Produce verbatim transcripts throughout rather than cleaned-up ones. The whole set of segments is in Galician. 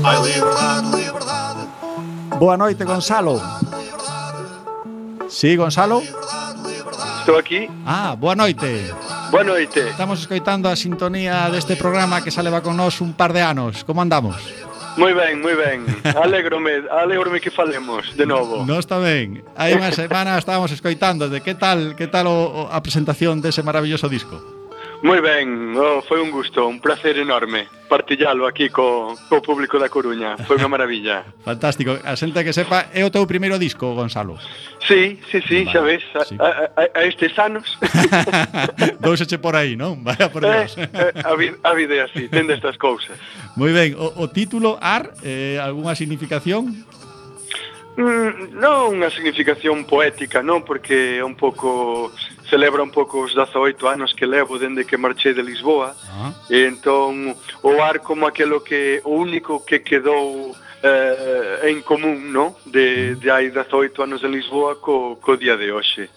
Ai, liberdade, liberdade. Boa noite, Gonzalo. Sí, Gonzalo? Estou aquí. Ah, boa noite. Boa noite. Estamos escoitando a sintonía deste programa que xa leva con nós un par de anos. Como andamos? Moi ben, moi ben. Alégrome, alégrome que falemos de novo. Non está ben. Hai unha semana estábamos escoitando de que tal, que tal o, o, a presentación dese maravilloso disco. Moi ben, oh, foi un gusto, un placer enorme partillalo aquí co, co público da Coruña. Foi unha maravilla. Fantástico. A xente que sepa, é o teu primeiro disco, Gonzalo. Sí, sí, sí, vale, xa ves, a, sí. a, a, a estes anos. Douseche por aí, non? Vaya por Dios. Eh, eh, a, vida, a vida é así, tende estas cousas. Moi ben, o, o título, Ar, eh, algunha significación? Mm, non unha significación poética, non, porque é un pouco celebra un pouco os dezaoito anos que levo dende que marchei de Lisboa. Ah. E entón o ar como aquelo que o único que quedou eh, en común, non? De, de hai dezaoito anos en Lisboa co, co día de hoxe.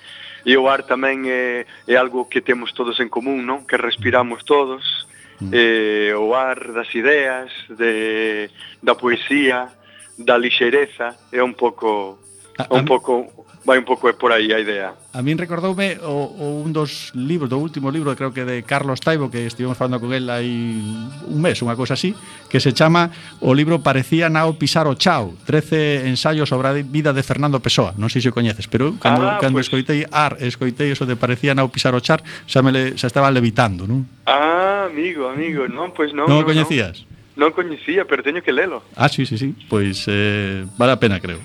E o ar tamén é, é algo que temos todos en común, non? Que respiramos todos. Mm. Eh, o ar das ideas, de, da poesía, da lixeireza, é un pouco a, un a pouco vai un pouco por aí a idea. A min recordoume o, o un dos libros, do último libro, creo que de Carlos Taibo, que estivemos falando con él hai un mes, unha cousa así, que se chama o libro Parecía Nao pisar o chao, trece ensaios sobre a vida de Fernando Pessoa. Non sei se o coñeces, pero cando, ah, cando pues... escoitei Ar, escoitei eso de Parecía Nao pisar o char, xa me le, xa estaba levitando, non? Ah, amigo, amigo, non, pois pues non. Non o no, coñecías? No. Non coñecía, pero teño que lelo. Ah, sí, sí, sí. Pois eh, vale a pena, creo.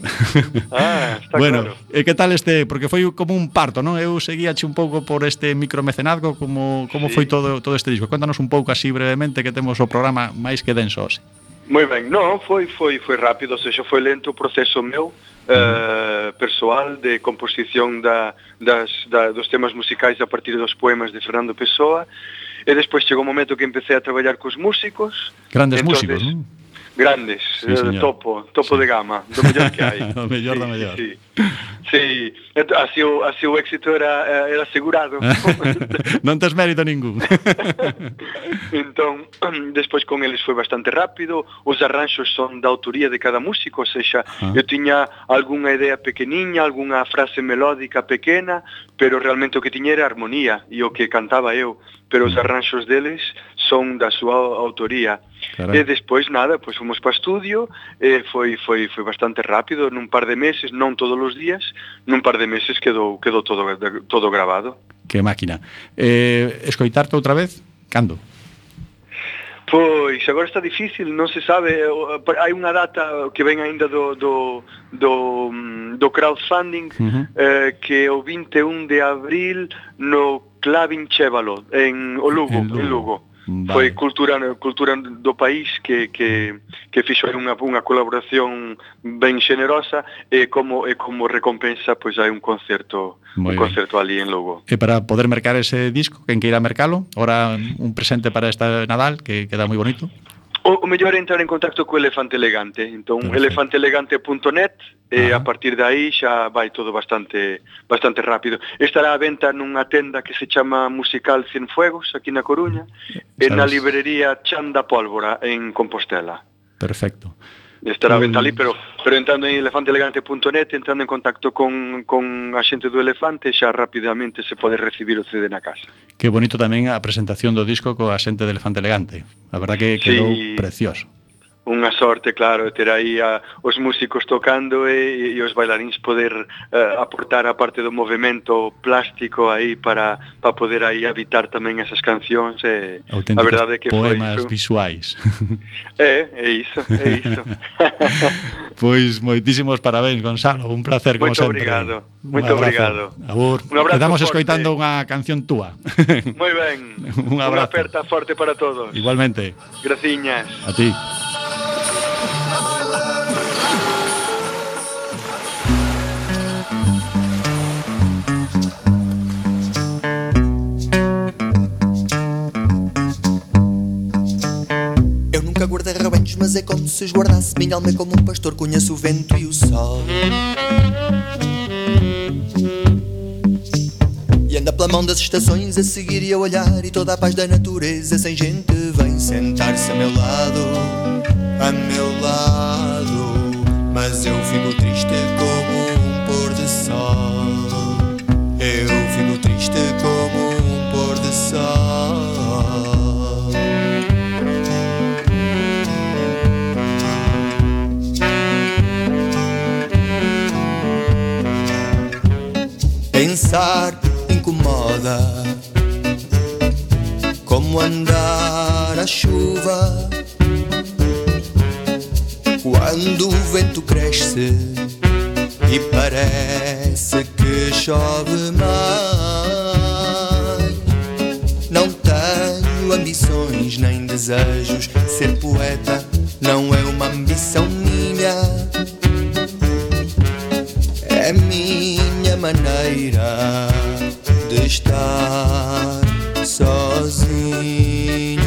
Ah, está bueno, claro. E que tal este, porque foi como un parto, non? Eu seguíache un pouco por este micromecenazgo, como como sí. foi todo todo este disco. Cuéntanos un pouco así brevemente, que temos o programa máis que denso hoxe. Moi ben. Non, foi foi foi rápido, ou seja, foi lento o proceso meu eh, persoal de composición da, das, da, dos temas musicais a partir dos poemas de Fernando Pessoa. E despois chegou o momento que empecé a traballar cos músicos. Grandes entonces, músicos, non? Grandes, sí, eh, topo, topo sí. de gama, do mellor que hai. O mellor sí, do mellor. Sí, sí. sí. Así, o, así o éxito era, era asegurado. Non tes mérito ningún. Entón, despois con eles foi bastante rápido. Os arranxos son da autoría de cada músico, ou seja, ah. eu tiña algunha idea pequeniña, algunha frase melódica pequena, pero realmente o que tiña era armonía e o que cantaba eu, pero os arranxos deles son da súa autoría. Carai. E despois nada, pois fomos para estudio, e foi foi foi bastante rápido, nun par de meses, non todos os días, nun par de meses quedou quedou todo todo grabado. Que máquina. Eh, escoitarte outra vez? Cando? Pois, agora está difícil, non se sabe, hai unha data que ven aínda do, do, do, do crowdfunding, uh-huh. eh, que é o vinte e un de abril no Clavin Chévalo, en o Lugo, en Lugo. En Lugo. Vale. Foi cultura cultura do país que que que fixo unha unha colaboración ben xenerosa e como e como recompensa pois hai un concerto Muy un bien. concerto ali en Lugo. E para poder mercar ese disco, quen queira mercalo, ora un presente para esta Nadal que queda moi bonito. O, o mellor é entrar en contacto co Elefante Elegante. Entón, elefante elegante punto net e a partir de aí xa vai todo bastante bastante rápido. Estará á venta nunha tenda que se chama Musical Cienfuegos, aquí na Coruña, e na librería Chan da Pólvora, en Compostela. Perfecto. Estará a venta ali, pero, pero entrando en elefante elegante punto net, entrando en contacto con, con a xente do Elefante, xa rapidamente se pode recibir o C D na casa. Que bonito tamén a presentación do disco coa xente do Elefante Elegante. A verdad que quedou sí. precioso. Unha sorte, claro, ter aí a, os músicos tocando e, e os bailarins poder uh, aportar a parte do movimento plástico aí para, para poder aí habitar tamén esas cancións. E a verdade é que poemas foi visuais. É, é iso, é iso. Pois moitísimos parabéns, Gonzalo, un placer como Muito sempre. Obrigado, muito obrigado. Abur. Un abrazo Quedamos forte. escoitando unha canción túa. Moi ben. Un abrazo. Unha aperta forte para todos. Igualmente. Graciñas. A ti. Guardei rebanhos, mas é como se os guardasse. Minha alma é como um pastor, conheço o vento e o sol. E anda pela mão das estações a seguir e a olhar, e toda a paz da natureza sem gente vem sentar-se a meu lado, a meu lado. mas eu fico triste como um pôr de sol. Eu fico triste como um pôr de sol. Pensar incomoda, como andar à chuva quando o vento cresce e parece que chove mais. Não tenho ambições nem desejos, ser poeta não é uma ambição minha. É minha maneira de estar sozinho.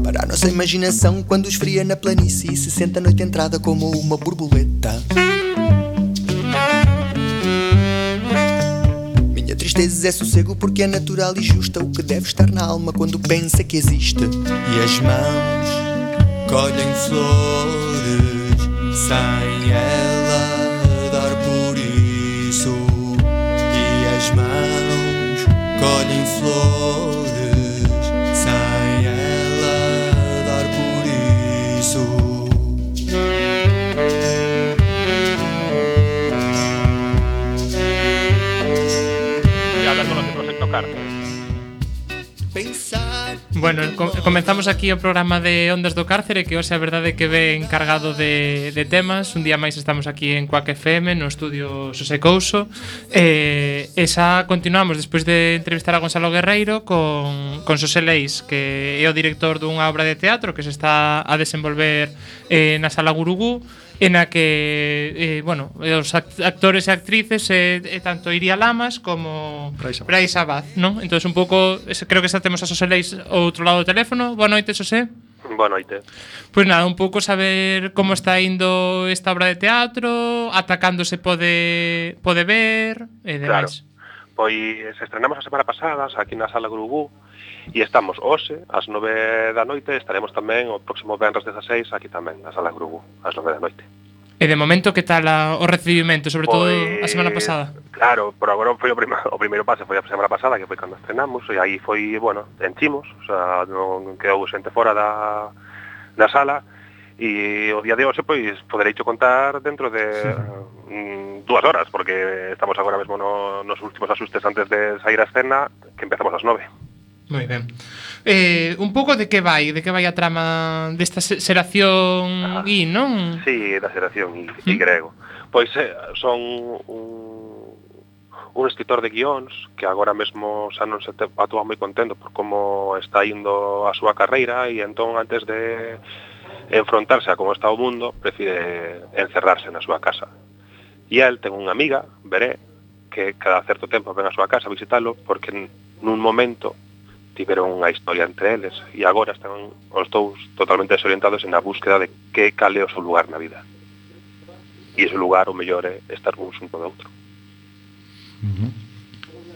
Para a nossa imaginação, quando esfria na planície e se senta à noite entrada como uma borboleta. Tristeza é sossego porque é natural e justa o que deve estar na alma quando pensa que existe. E as mãos colhem flores sem ela dar por isso. E as mãos colhem flores sem ela dar por isso. Bueno, com comenzamos aquí o programa de Ondas do Cárcere, que hoxe a verdade é que ve encargado de, de temas. Un día máis estamos aquí en Quack F M, no estudio Xosé Couso, e, e xa continuamos despois de entrevistar a Gonzalo Guerreiro con, con Xosé Leis, que é o director dunha obra de teatro que se está a desenvolver eh, na Sala Gurugú, en a que, eh, bueno, os actores e actrices é eh, eh, tanto Iria Lamas como Brais Abad, non? Entón, un pouco, creo que xa temos a Xosé Leis ao outro lado do teléfono. Boa noite, Xosé. Boa noite. Pois nada, un pouco saber como está indo esta obra de teatro, ata cando se pode pode ver e demais. Claro. Pois estrenamos a semana pasada aquí na Sala Gurugú e estamos hoxe ás nove da noite, estaremos tamén o próximo venres dezaseis aquí tamén na Sala Gurugú ás nove da noite. E de momento, que tal a, o recibimento, sobre todo a semana pasada? Claro, por agora foi o, prima, o primeiro pase foi a semana pasada, que foi cando estrenamos, e aí foi, bueno, enchimos, o sea, non quedou xente fora da, da sala, e o día de hoxe, pois, poderei cho contar dentro de mm, dúas horas, porque estamos agora mesmo no, nos últimos asustes antes de sair a escena, que empezamos ás nove. Moi ben. Eh, un pouco de que vai, de que vai a trama desta xeración ah, I, non? Sí, da xeración I, I grego. Pois eh, son un, un escritor de guións que agora mesmo xa non se atúa moi contento por como está indo a súa carreira e entón antes de enfrontarse a como está o mundo prefire encerrarse na súa casa. E el ten unha amiga, Veré, que cada certo tempo ven a súa casa a visitalo porque nun momento tiveron unha historia entre eles e agora están os dous totalmente desorientados en a búsqueda de que cale o seu lugar na vida. E ese lugar o mellor é estar un xunto de outro. Uh-huh.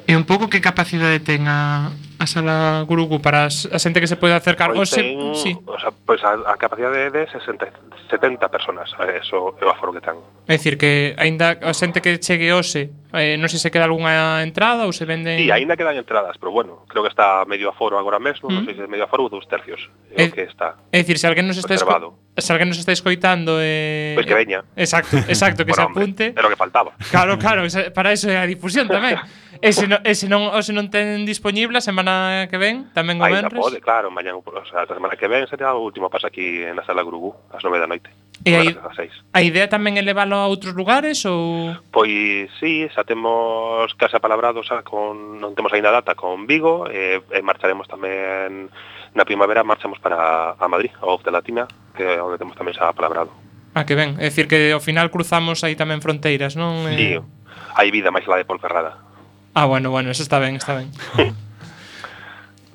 E un pouco que capacidade ten a, a Sala Gurugú para as, a xente que se pode acercar? Pois o se, ten, sí. o sea, pois a, a capacidade de sesenta, setenta personas, eso é o aforo que ten. É dicir, que aínda a xente que chegue hoxe, eh, non sei se queda algunha entrada ou se venden... Sí, aínda quedan entradas, pero bueno, creo que está medio aforo agora mesmo, mm. non sei se medio aforo ou dos tercios, é o que está. É dicir, se alguén nos está esco... se alguén nos está escoitando eh... pois que veña. Exacto, exacto, que bueno, se apunte. Era o que faltaba. Claro, claro, para eso é a difusión tamén. E se non, e se non, o se non ten disponible a semana que ven, tamén o venres. Ainda pode, claro, mañan, o sea, a semana que ven sería o último paso aquí na Sala Gurugú, ás nove da noite. E aí, a idea tamén é leválo a outros lugares ou...? Pois sí, xa temos case apalabrado, xa con, non temos aínda data con Vigo, e, e marcharemos tamén na primavera, marchamos para a Madrid, a O F de Latina, que é onde temos tamén xa apalabrado. Ah, que ben, é dicir que ao final cruzamos aí tamén fronteiras, non? Sí, hai vida máis lá de Ponferrada. Ah, bueno, bueno, eso está ben, está ben.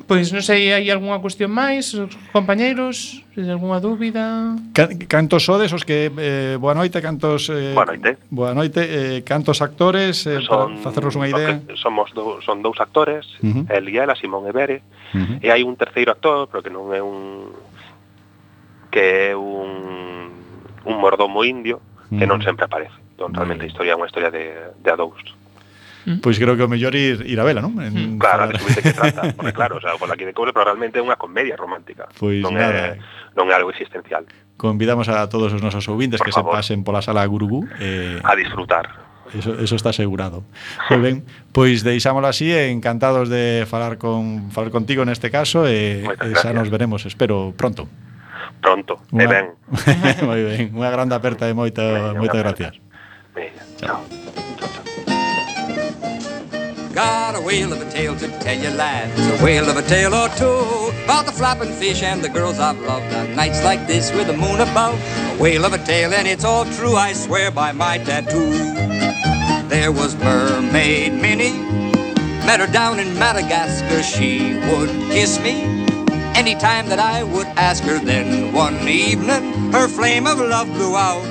Pois non sei, hai algunha cuestión máis, os compañeiros, se hai algunha dúbida? Ca- Cantos sodes os que eh, boa noite, cantos eh, Boa noite. Boa noite, eh, cantos actores eh, Son, para facernos unha idea. que somos do, son dous actores, Uh-huh. el e ela, Simón e Bere, Uh-huh. e hai un terceiro actor, pero que non é un que é un un mordomo indio que non sempre aparece. Entón, realmente a historia é unha historia de, de a dous. Pois creo que o mellor ir, ir a vela, non? En Claro, falar- de subir de que trata, porque claro, o sea, por aquí de cobre, pero realmente é unha comedia romántica. Pois non nada. é non é algo existencial. Convidamos a todos os nosos ouvintes Por que se favor. pasen pola sala Gurugú eh, A disfrutar. Eso, eso está asegurado. Moi ben, pois deixámolo así, e encantados de falar con falar contigo neste caso e, Moitas e xa gracias. nos veremos, espero pronto. Pronto, e Unha- ben. Moi ben, unha grande aperta e moita, Veña, moitas unha gracias. Veña, chao. Got a whale of a tale to tell you, lads, a whale of a tale or two, about the flapping fish and the girls I've loved on nights like this with the moon above. A whale of a tale, and it's all true, I swear by my tattoo. There was Mermaid Minnie, met her down in Madagascar. She would kiss me anytime that I would ask her. Then one evening her flame of love blew out.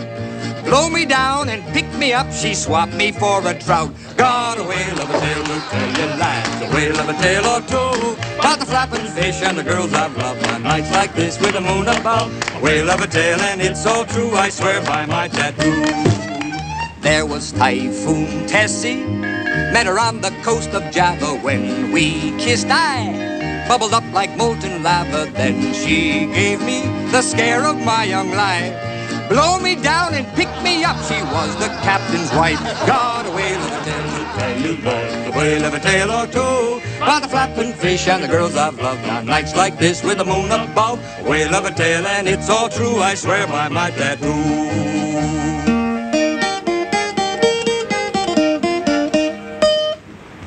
Blow me down and pick me up, she swapped me for a trout. Got a whale of a tale to tell you, lads, a whale of a tale or two, about the flapping fish and the girls I've loved on nights like this with the moon above. A whale of a tale, and it's all true, I swear by my tattoo. There was Typhoon Tessie, met her on the coast of Java. When we kissed, I bubbled up like molten lava. Then she gave me the scare of my young life. Blow me down and pick me up, she was the captain's wife. Got a whale of a tale to tell you, lads, a whale of a tale or two, about the flapping fish and the girls I've loved on nights like this with the moon above. A whale of a tale, and it's all true, I swear by my tattoo.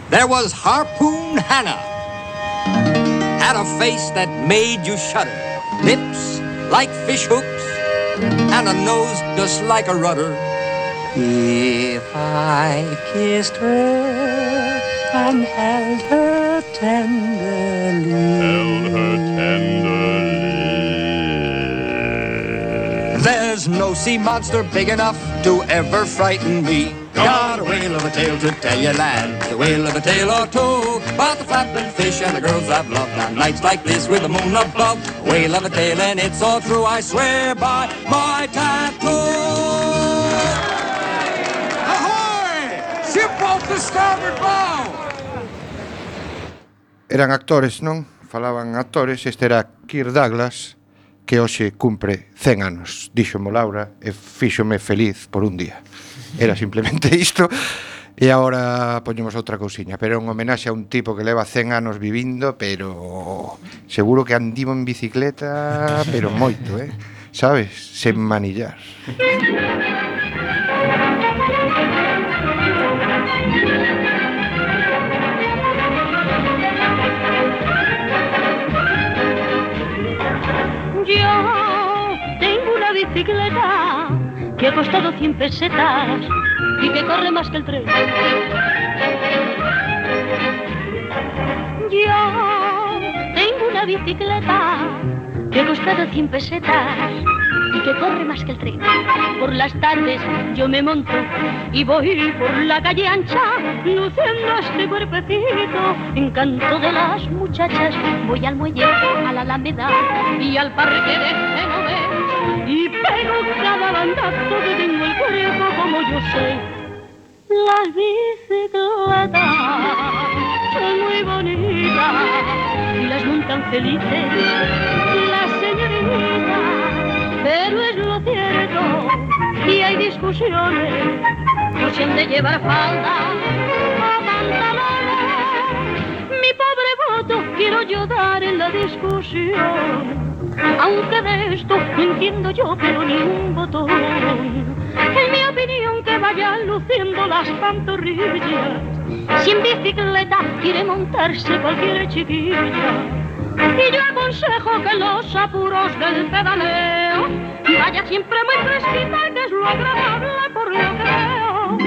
There was Harpoon Hannah, had a face that made you shudder, lips like fish hooks, and a nose just like a rudder. If I kissed her and held her tenderly, held her tenderly, there's no sea monster big enough to ever frighten me. Got a whale of a tale to tell you, lads, a whale of a tale or two, about the flapping fish and the girls I've loved on nights like this with the moon above. A whale of a tale, and it's all true, I swear by my tattoo. Ahoy! Ship off the starboard bow! Eran actores, non? Falaban actores, este era Kirk Douglas, que hoxe cumpre cen anos. Díxomo Laura e fíxome feliz por un día. Era simplemente isto. E agora poñemos outra cousiña, pero é un homenaxe a un tipo que leva cen anos vivindo, pero seguro que andivo en bicicleta, pero moito, eh? Sabes? Sen manillar. Yo tengo una bicicleta que ha costado cien pesetas y que corre más que el tren. Yo tengo una bicicleta que ha costado cien pesetas y que corre más que el tren. Por las tardes yo me monto y voy por la calle ancha, luciendo este cuerpecito, encanto de las muchachas. Voy al muelle, a la Alameda y al parque de Genoves y pego cada bandazo que tengo el cuerpo como yo sé. Las bicicletas son muy bonitas y las montan felices las señoritas, pero es lo cierto y hay discusiones por si han de llevar falda o pantalones. Mi pobre voto quiero yo dar en la discusión, aunque de esto no entiendo yo pero ni un botón. En mi opinión que vayan luciendo las pantorrillas, si en bicicleta quiere montarse cualquier chiquilla. Y yo aconsejo que los apuros del pedaleo vaya siempre muy fresquita, que es lo agradable por lo que veo.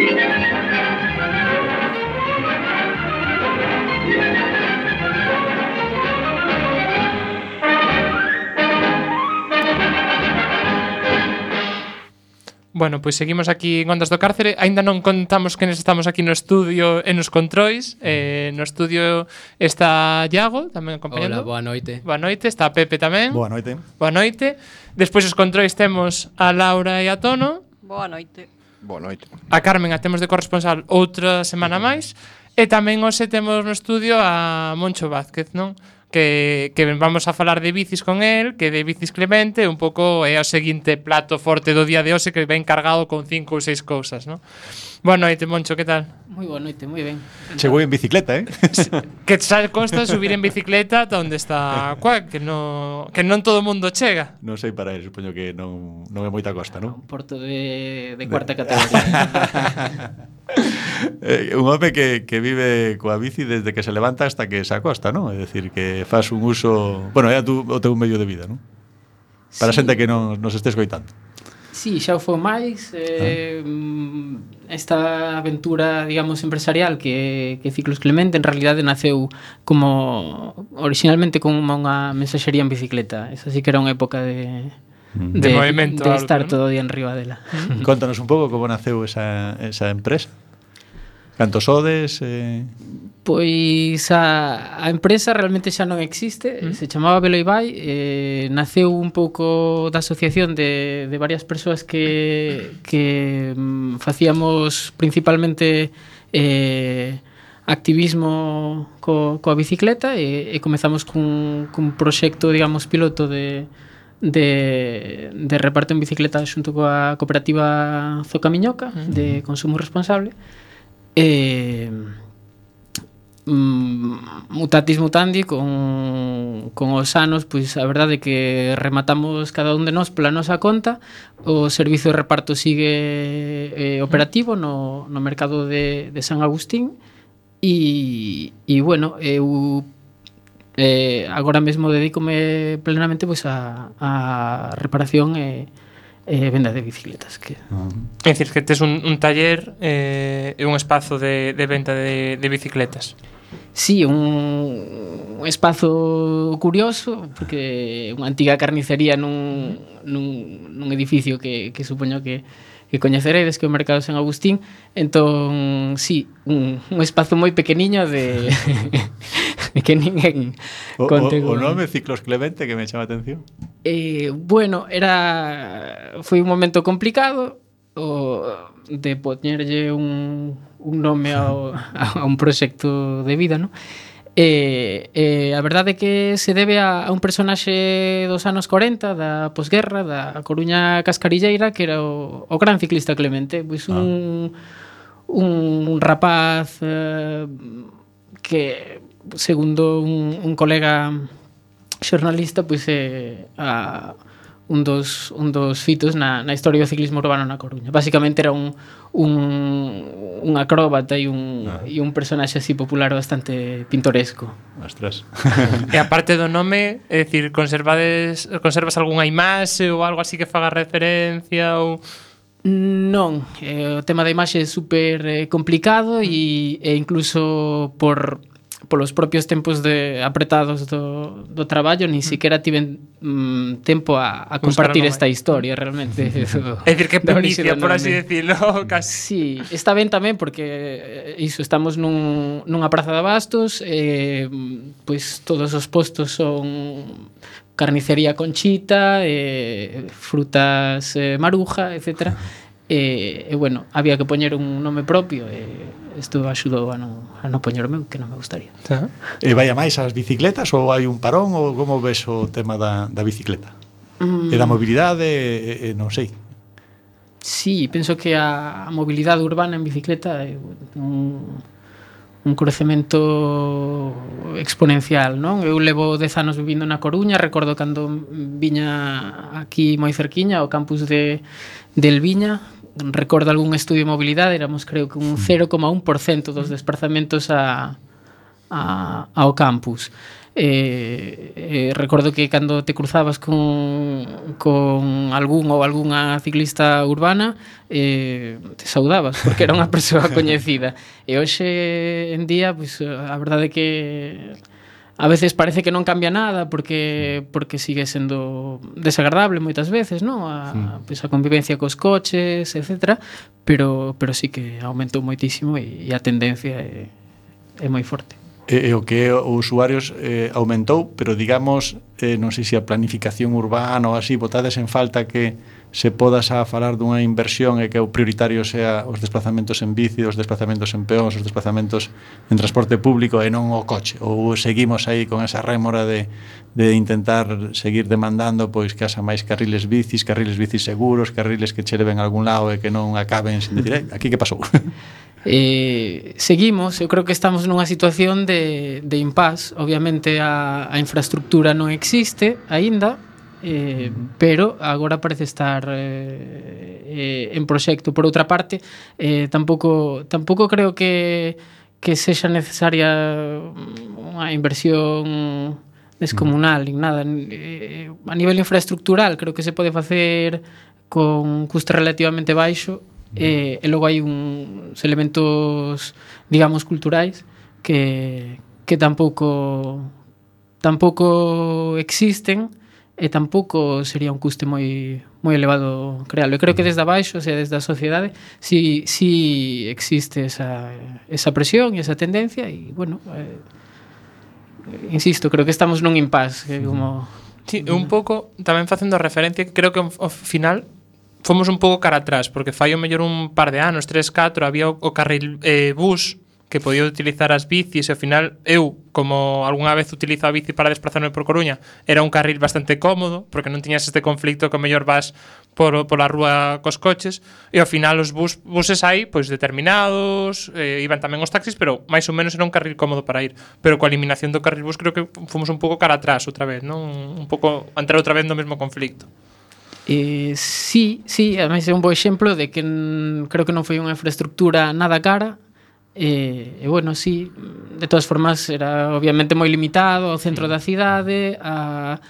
Bueno, pois seguimos aquí en Ondas do Cárcere. Aínda non contamos que estamos aquí no estudio e nos controis. Eh, no estudio está Iago, tamén acompañando. Hola, boa noite. Boa noite, está Pepe tamén. Boa noite. Boa noite. Despois os controis temos a Laura e a Tono. Boa noite. Boa noite. A Carmen a temos de corresponsal outra semana máis. E tamén hoxe temos no estudio a Moncho Vázquez, non? Que, que vamos a falar de bicis con el, que de bicis Clemente, un pouco é o seguinte plato forte do día de hoxe que ven cargado con cinco ou seis cousas, non? Boa noite, Moncho, que tal? Moi boa noite, moi ben. Chegou en bicicleta, eh? Que xa costa subir en bicicleta ata onde está Cuac, que non, que non todo o mundo chega. Non sei para ele, supoño que non, non é moita costa, non? Un porto de, de cuarta categoría. eh, un home que, que vive coa bici desde que se levanta hasta que se acosta, non? É dicir, que faz un uso... Bueno, é tu, o teu medio de vida, non? Para Sí. xente que non nos estés coitando. Sí, xa o foi máis eh, ah. Esta aventura, digamos, empresarial que, que Ciclos Clemente en realidade naceu como originalmente como unha mensaxería en bicicleta. Esa sí que era unha época de Mm. de, De movimento de alto, estar ¿no? todo o día en riba dela. Contanos un pouco como naceu esa, esa empresa. Cantos sodes? Eh... Pois a, a empresa realmente xa non existe, Mm. se chamaba Veloibai, eh, naceu un pouco da asociación de, de varias persoas que, que mm, facíamos principalmente eh, activismo co, coa bicicleta e, e comezamos cun, cun proxecto, digamos, piloto de, de, de reparto en bicicleta xunto coa cooperativa Zocamiñoca, mm. de consumo responsable. E mm, mutatis mutandi con, con os anos, pois a verdade é que rematamos cada un de nós pola nosa conta. O servizo de reparto sigue eh, operativo no, no mercado de, de San Agustín e, e bueno, eu eh, agora mesmo dedícome plenamente pois a, a reparación e eh, venda de bicicletas que... É dicir, que tes un, un taller e eh, un espazo de, de venta de, de bicicletas. Sí, un, un espazo curioso porque unha antiga carnicería nun, nun, nun edificio que, que supoño que, que coñeceredes, que é o Mercado San Agustín. Entón, sí, un, un espazo moi pequeniño de, de que ninguén O, conte o, o con- nome Ciclos Clemente que me chama a atención. Eh, bueno, era foi un momento complicado o de poñerlle un, un nome ao, a un proxecto de vida, ¿no? E, e a verdade é que se debe a, a un personaxe dos anos corenta da posguerra, da Coruña Cascarilleira, que era o, o gran ciclista Clemente, pois un, un rapaz eh, que, segundo un, un colega xornalista, pois é a un dos, un dos fitos na, na historia do ciclismo urbano na Coruña. Básicamente era un, un, un acróbata e un, ah. e un personaxe así popular bastante pintoresco. Ostras. E a parte do nome, é dicir, conservades, conservas algunha imaxe ou algo así que faga referencia ou... Non, eh, o tema da imaxe é super eh, complicado e, e incluso por polos propios tempos de apretados do, do traballo ni siquiera tiven mm, tempo a, a compartir esta historia realmente. É dicir, que primicia, por así decirlo, casi. Sí, está ben tamén porque eh, iso, estamos nun, nunha praza de abastos, eh, pois todos os postos son carnicería Conchita, eh, frutas eh, Maruja, etcétera. E, e bueno, había que poñer un nome propio e isto axudou a non, a non poñer o meu, que non me gustaría. E vai a máis as bicicletas ou hai un parón ou como ves o tema da, da bicicleta? Mm. E da mobilidade, e, e non sei. Sí, penso que a, a mobilidade urbana en bicicleta é un, un crecemento exponencial, non? Eu levo dez anos vivindo na Coruña, recordo cando viña aquí moi cerquiña ao campus de, de Elviña, recordo algún estudio de mobilidade, éramos creo que un cero coma un por cento dos desplazamentos a, a, ao campus. Eh, eh, recordo que cando te cruzabas con, con algún ou algunha ciclista urbana eh, te saudabas porque era unha persoa coñecida e hoxe en día pois, a verdade é que a veces parece que non cambia nada porque porque sigue sendo desagradable moitas veces, non? A, mm. pues, a convivencia cos coches, etcétera, pero pero sí que aumentou moitísimo e, e a tendencia é, é moi forte. E, e o que os usuarios eh, aumentou, pero digamos, eh, non sei se a planificación urbana ou así, botades en falta que se podas a falar dunha inversión e que o prioritario sea os desplazamentos en bici, os desplazamentos en peóns, os desplazamentos en transporte público e non o coche, ou seguimos aí con esa rémora de, de intentar seguir demandando pois que haxa máis carriles bicis, carriles bicis seguros, carriles que che leven a algún lado e que non acaben sin decir, aquí que pasou? Eh, seguimos, eu creo que estamos nunha situación de, de impasse. Obviamente a, a infraestructura non existe aínda, eh, pero agora parece estar eh, eh, en proxecto. Por outra parte, eh, tampouco, tampouco creo que, que sexa necesaria unha inversión descomunal, nin nada. Eh, a nivel infraestructural creo que se pode facer con custo relativamente baixo. E, e logo hai uns elementos, digamos, culturais que, que tampouco tampouco existen e tampouco sería un custe moi moi elevado crealo. Eu creo que desde abaixo, o sea, desde a sociedade, si, si existe esa, esa presión e esa tendencia e, bueno, eh, insisto, creo que estamos nun impasse que como... Sí, un pouco tamén facendo referencia que creo que ao final fomos un pouco cara atrás, porque fai o mellor un par de anos, tres, catro, había o, o carril eh, bus que podía utilizar as bicis e ao final eu, como algunha vez utilizo a bici para desplazarme por Coruña, era un carril bastante cómodo, porque non tiñas este conflicto que o mellor vas por, por a rúa cos coches, e ao final os bus, buses aí, pois determinados, eh, iban tamén os taxis, pero máis ou menos era un carril cómodo para ir. Pero coa eliminación do carril bus creo que fomos un pouco cara atrás outra vez, non? Un pouco entrar outra vez no mesmo conflicto. Eh, sí, sí, ademais é un bo exemplo de que n, creo que non foi unha infraestructura nada cara e, e bueno, sí, de todas formas era obviamente moi limitado ao centro da cidade, a,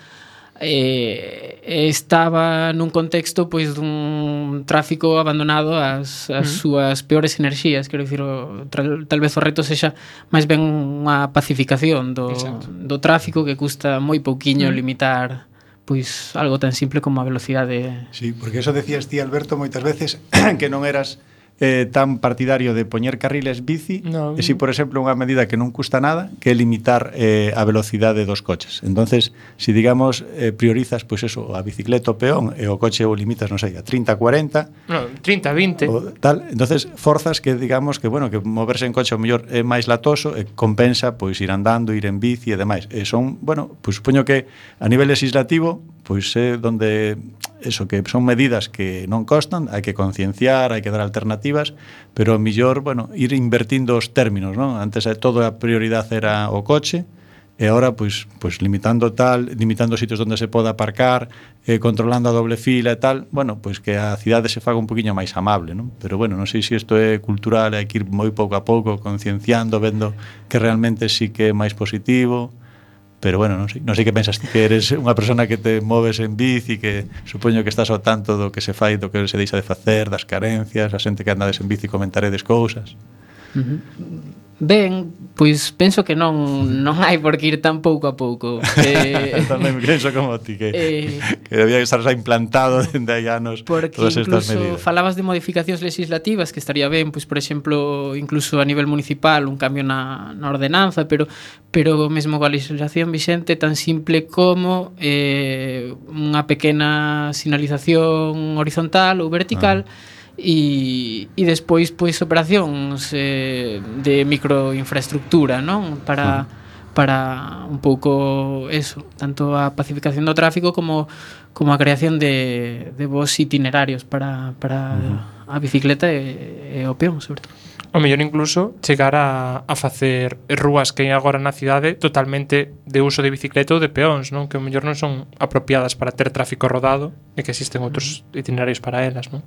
e, e estaba nun contexto pois dun tráfico abandonado ás, ás mm. súas peores enerxías, quero dicir, o, tal, tal vez o reto sexa máis ben unha pacificación do, do tráfico que custa moi pouquiño mm. limitar pois algo tan simple como a velocidade. Sí, porque eso decías ti, Alberto, moitas veces que non eras eh, tan partidario de poñer carriles bici, no. E si, por exemplo, unha medida que non custa nada, que é limitar eh, a velocidade dos coches. Entonces, si digamos eh, priorizas pois eso, a bicicleta o peón e o coche o limitas, non sei, a trinta, cuarenta, no, trinta, vinte, o tal, entonces forzas que digamos que bueno, que moverse en coche o mellor é máis latoso e compensa pois ir andando, ir en bici e demais. E son, bueno, pois supoño que a nivel legislativo pois é donde eso, que son medidas que non costan, hai que concienciar, hai que dar alternativas, pero mellor, bueno, ir invertindo os términos, non? Antes toda a prioridade era o coche, e agora, pois, pois limitando tal, limitando sitios onde se poda aparcar, eh, controlando a doble fila e tal, bueno, pois que a cidade se faga un poquinho máis amable, non? Pero bueno, non sei se isto é cultural, hai que ir moi pouco a pouco, concienciando, vendo que realmente sí que é máis positivo. Pero bueno, non sei, non sei que pensas ti, que eres unha persona que te moves en bici, que supoño que estás ao tanto do que se fai, do que se deixa de facer, das carencias, a xente que andades en bici comentaredes cousas. Uh-huh. Ben, pois penso que non non hai por que ir tan pouco a pouco. Eh, Tamén penso como ti, que, eh, que debía estar xa implantado dende hai anos todas estas medidas. Falabas de modificacións legislativas, que estaría ben, pois por exemplo, incluso a nivel municipal, un cambio na, na ordenanza, pero pero mesmo coa legislación vixente tan simple como eh, unha pequena sinalización horizontal ou vertical. Ah. E, e despois pois operacións eh, de microinfraestructura, non? Para, para un pouco eso, tanto a pacificación do tráfico como, como a creación de, de bons itinerarios para, para uh-huh. a bicicleta e, e o peón, sobre todo. O mellor incluso chegar a, a facer rúas que hai agora na cidade totalmente de uso de bicicleta ou de peóns, non? Que o mellor non son apropiadas para ter tráfico rodado e que existen outros itinerarios para elas, non?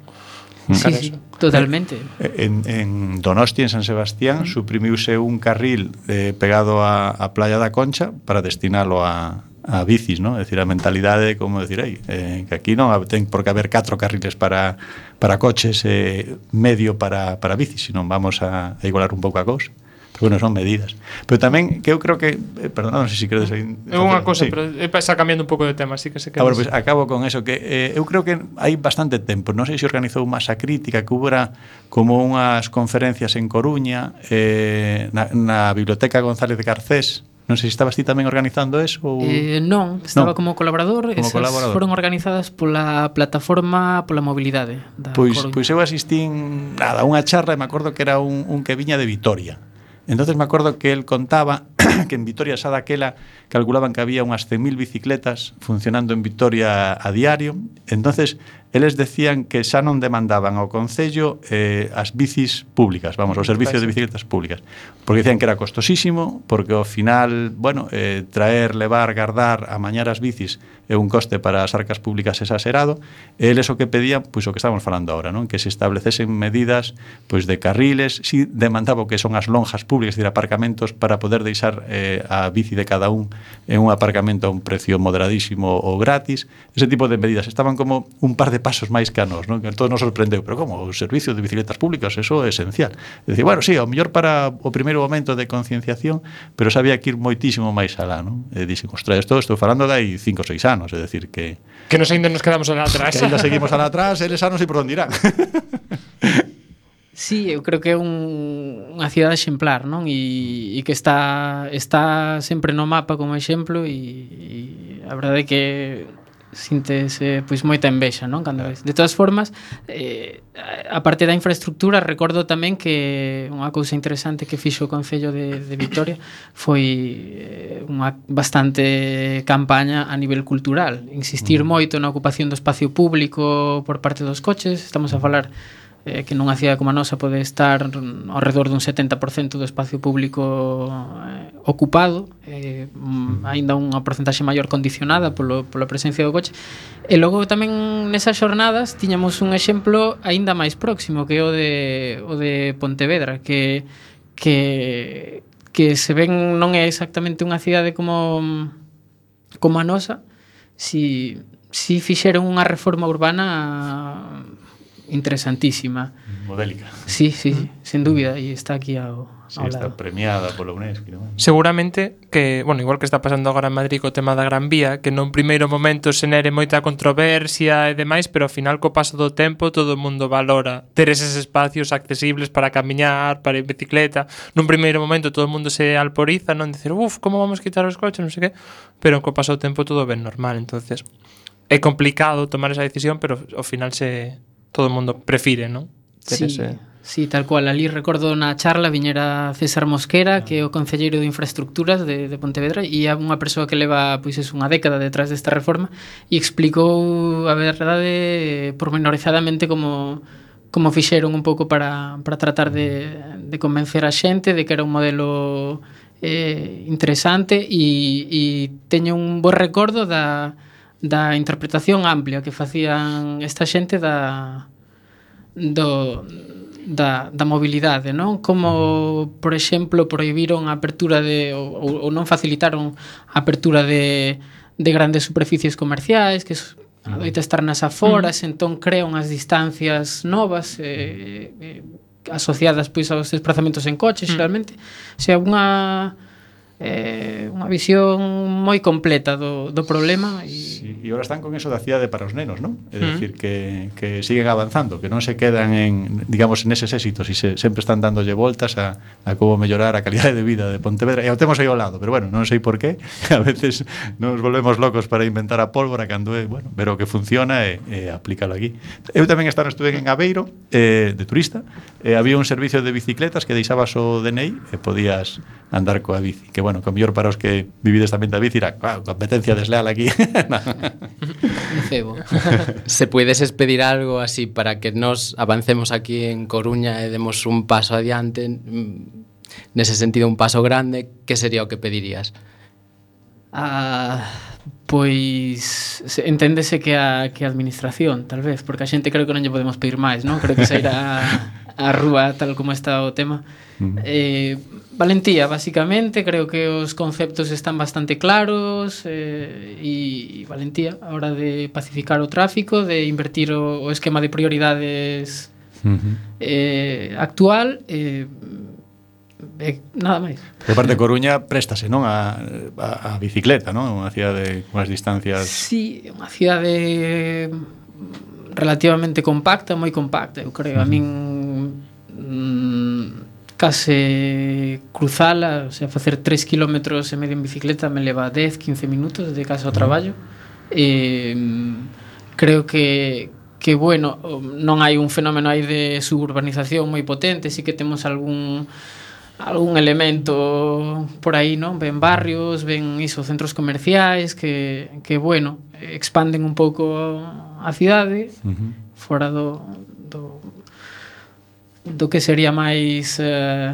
Sí, sí, totalmente. En, en Donosti, en San Sebastián, uh-huh. suprimiuse un carril eh, pegado a, a Playa da Concha para destinalo a, a bicis, ¿no? É dicir, a mentalidade, como decir, aí, eh, que aquí non ten por que haber catro carriles para, para coches e eh, medio para, para bicis, senón vamos a, a igualar un pouco a cousa. Pero bueno, son medidas. Pero tamén que eu creo que, eh, perdón, non sei se queredes aí. É unha cosa, sí. pero está cambiando un pouco de tema, así que se queda. Agora, pues, acabo con eso que eh, eu creo que hai bastante tempo, non sei se organizou masa crítica que hubera como unhas conferencias en Coruña, eh, na, na Biblioteca González de Garcés. Non sei se estabas ti tamén organizando eso ou... Eh, non, estaba non. como colaborador. Como Esas colaborador. foron organizadas pola plataforma pola mobilidade da Pois, Coruña. pois eu asistín nada, a unha charla e me acordo que era un, un que viña de Vitoria. Entonces me acordo que él contaba que en Vitoria xa daquela calculaban que había unhas cen mil bicicletas funcionando en Vitoria a diario. Entonces eles decían que xa non demandaban ao Concello eh, as bicis públicas, vamos, o servicio de bicicletas públicas, porque decían que era costosísimo, porque ao final, bueno, eh, traer, levar, guardar, amañar as bicis é un coste para as arcas públicas exagerado, e eles o que pedían, pois o que estamos falando agora, non? Que se establecesen medidas pois de carriles, si demandaba o que son as lonjas públicas, es decir, aparcamentos para poder deixar eh, a bici de cada un en un aparcamento a un precio moderadísimo ou gratis, ese tipo de medidas estaban como un par de pasos máis que a nos, non? Que todo nos sorprendeu, pero como o servicio de bicicletas públicas, eso é esencial. É dicir, bueno, sí, ao mellor para o primeiro momento de concienciación, pero sabía que ir moitísimo máis alá, non? E dixen, ostras, isto estou falando de aí cinco ou seis anos, é dicir que que nos ainda nos quedamos alá atrás. Que ainda seguimos alá atrás, eles xa non sei por onde irán. Sí, eu creo que é un, unha cidade exemplar, non? E, e que está está sempre no mapa como exemplo e, e a verdade é que síntese pois moita envexa, non? Cando ves. De todas formas, eh, a parte da infraestructura, recordo tamén que unha cousa interesante que fixo o Concello de, de Vitoria foi unha bastante campaña a nivel cultural, insistir mm. moito na ocupación do espacio público por parte dos coches. Estamos a falar eh, que nunha cidade como a nosa pode estar ao redor dun setenta por cento do espacio público eh, ocupado, eh, mm, aínda unha porcentaxe maior condicionada polo, pola presencia do coche. E logo tamén nesas xornadas tiñamos un exemplo aínda máis próximo, que é o de, o de Pontevedra, que, que, que se ven non é exactamente unha cidade como, como a nosa, si, si fixeron unha reforma urbana interesantísima. Modélica. Sí, sí, sí, sin dúbida, e está aquí ao, sí, ao está lado. premiada polo UNESCO. ¿No? Seguramente que, bueno, igual que está pasando agora en Madrid co tema da Gran Vía, que nun primeiro momento se nere moita controversia e demais, pero ao final co paso do tempo todo o mundo valora ter eses espacios accesibles para camiñar, para ir en bicicleta. Nun primeiro momento todo o mundo se alporiza, non dicir, uf, como vamos quitar os coches, non sei que, pero co paso do tempo todo ben normal. Entonces é complicado tomar esa decisión, pero ao final se todo o mundo prefire, non? Sí, ese... sí, tal cual. Ali recordo na charla viñera César Mosquera, que é o concelleiro de infraestructuras de, de Pontevedra, e é unha persoa que leva pois es unha década detrás desta reforma e explicou a verdade pormenorizadamente como como fixeron un pouco para, para tratar de, de convencer a xente de que era un modelo eh, interesante e, e teño un bo recordo da da interpretación amplia que facían esta xente da do da, da mobilidade, non? Como, por exemplo, prohibiron a apertura de ou, ou non facilitaron a apertura de, de grandes superficies comerciais que adoita estar nas aforas, mm. entón crean as distancias novas eh, eh, asociadas pois aos desplazamentos en coche, mm. xeralmente. O sea, unha eh, unha visión moi completa do, do problema e sí, e agora están con eso da cidade para os nenos, non? É dicir, que, que siguen avanzando, que non se quedan en, digamos, en eses éxitos e se, sempre están dándolle voltas a, a como mellorar a calidade de vida de Pontevedra, e o temos aí ao lado, pero bueno, non sei por qué a veces nos volvemos locos para inventar a pólvora cando é, bueno, ver o que funciona e, e aplícalo aquí. Eu tamén estaba estuve en Aveiro eh, de turista, e había un servicio de bicicletas que deixabas o D N I e podías andar coa bici, que bueno, que mellor para os que vivides tamén da bici era, claro, competencia desleal aquí. Cebo. Se puedes pedir algo así para que nos avancemos aquí en Coruña e demos un paso adiante, nese sentido un paso grande, que sería o que pedirías? Ah, pois enténdese que a, que a administración, tal vez, porque a xente creo que non lle podemos pedir máis, non? Creo que se irá a rúa tal como está o tema. Mm. Eh, valentía, basicamente, creo que os conceptos están bastante claros eh, e valentía a hora de pacificar o tráfico, de invertir o, o esquema de prioridades uh-huh. eh, actual, eh, e nada máis. Por parte de Coruña préstase, non, a, a, a bicicleta, non? Unha cidade con as distancias. Sí, unha cidade relativamente compacta, moi compacta, eu creo. A min mm, case cruzala, o sea, facer tres kilómetros e medio en bicicleta me leva dez, quince minutos de casa ao traballo. E creo que que bueno, non hai un fenómeno aí de suburbanización moi potente, sí que temos algún algún elemento por aí, non? Ven barrios, ven iso, centros comerciais que, que bueno, expanden un pouco a cidade uh-huh. fora do, do do que sería máis eh,